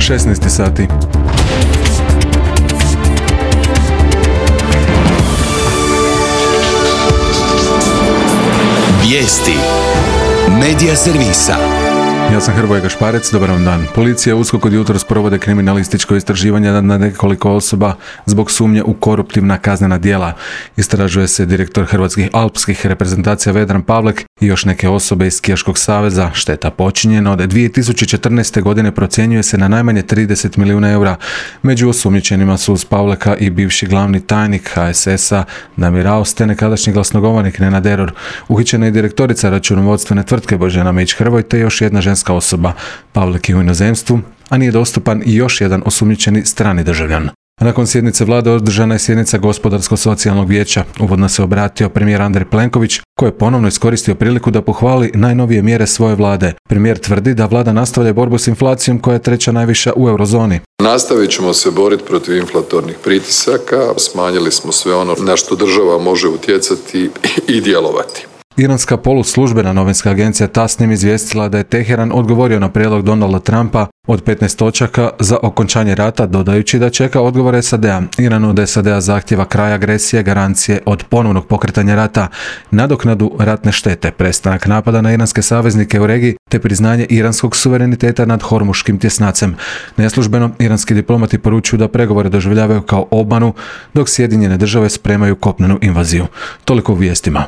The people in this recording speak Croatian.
16 sati. Vijesti Medija servisa. Ja sam Hrvoje Gašparec, dobar vam dan. Policija i USKOK od jutros provode kriminalističko istraživanje nad nekoliko osoba zbog sumnje u koruptivna kaznena djela. Istražuje se direktor hrvatskih alpskih reprezentacija Vedran Pavlek i još neke osobe iz Skijaškog saveza. Šteta počinjena od 2014. godine procjenjuje se na najmanje 30 milijuna eura. Među osumnjičenima su uz Pavleka i bivši glavni tajnik HSS-a Damir Raos te nekadašnji glasnogovornik Nenad Eror. Uhićena je direktorica računovodstvene tvrtke Božena Mić-Hrvoj te još jedna ženska osoba. Pavlek je u inozemstvu, a nije dostupan i još jedan osumnjičeni strani državljan. Nakon sjednice vlade održana je sjednica Gospodarsko-socijalnog vijeća. Uvodno se obratio premijer Andrej Plenković, koji je ponovno iskoristio priliku da pohvali najnovije mjere svoje vlade. Premijer tvrdi da vlada nastavlja borbu s inflacijom koja je treća najviša u eurozoni. Nastavit ćemo se boriti protiv inflatornih pritisaka, smanjili smo sve ono na što država može utjecati i djelovati. Iranska poluslužbena novinska agencija Tasnim izvijestila da je Teheran odgovorio na prijedlog Donalda Trumpa od 15 točaka za okončanje rata, dodajući da čeka odgovor SAD-a. Iran od SAD-a zahtjeva kraj agresije, garancije od ponovnog pokretanja rata, nadoknadu ratne štete, prestanak napada na iranske saveznike u regiji te priznanje iranskog suvereniteta nad Hormuškim tjesnacem. Neslužbeno, iranski diplomati poručuju da pregovore doživljavaju kao obmanu, dok Sjedinjene države spremaju kopnenu invaziju. Toliko u vijestima.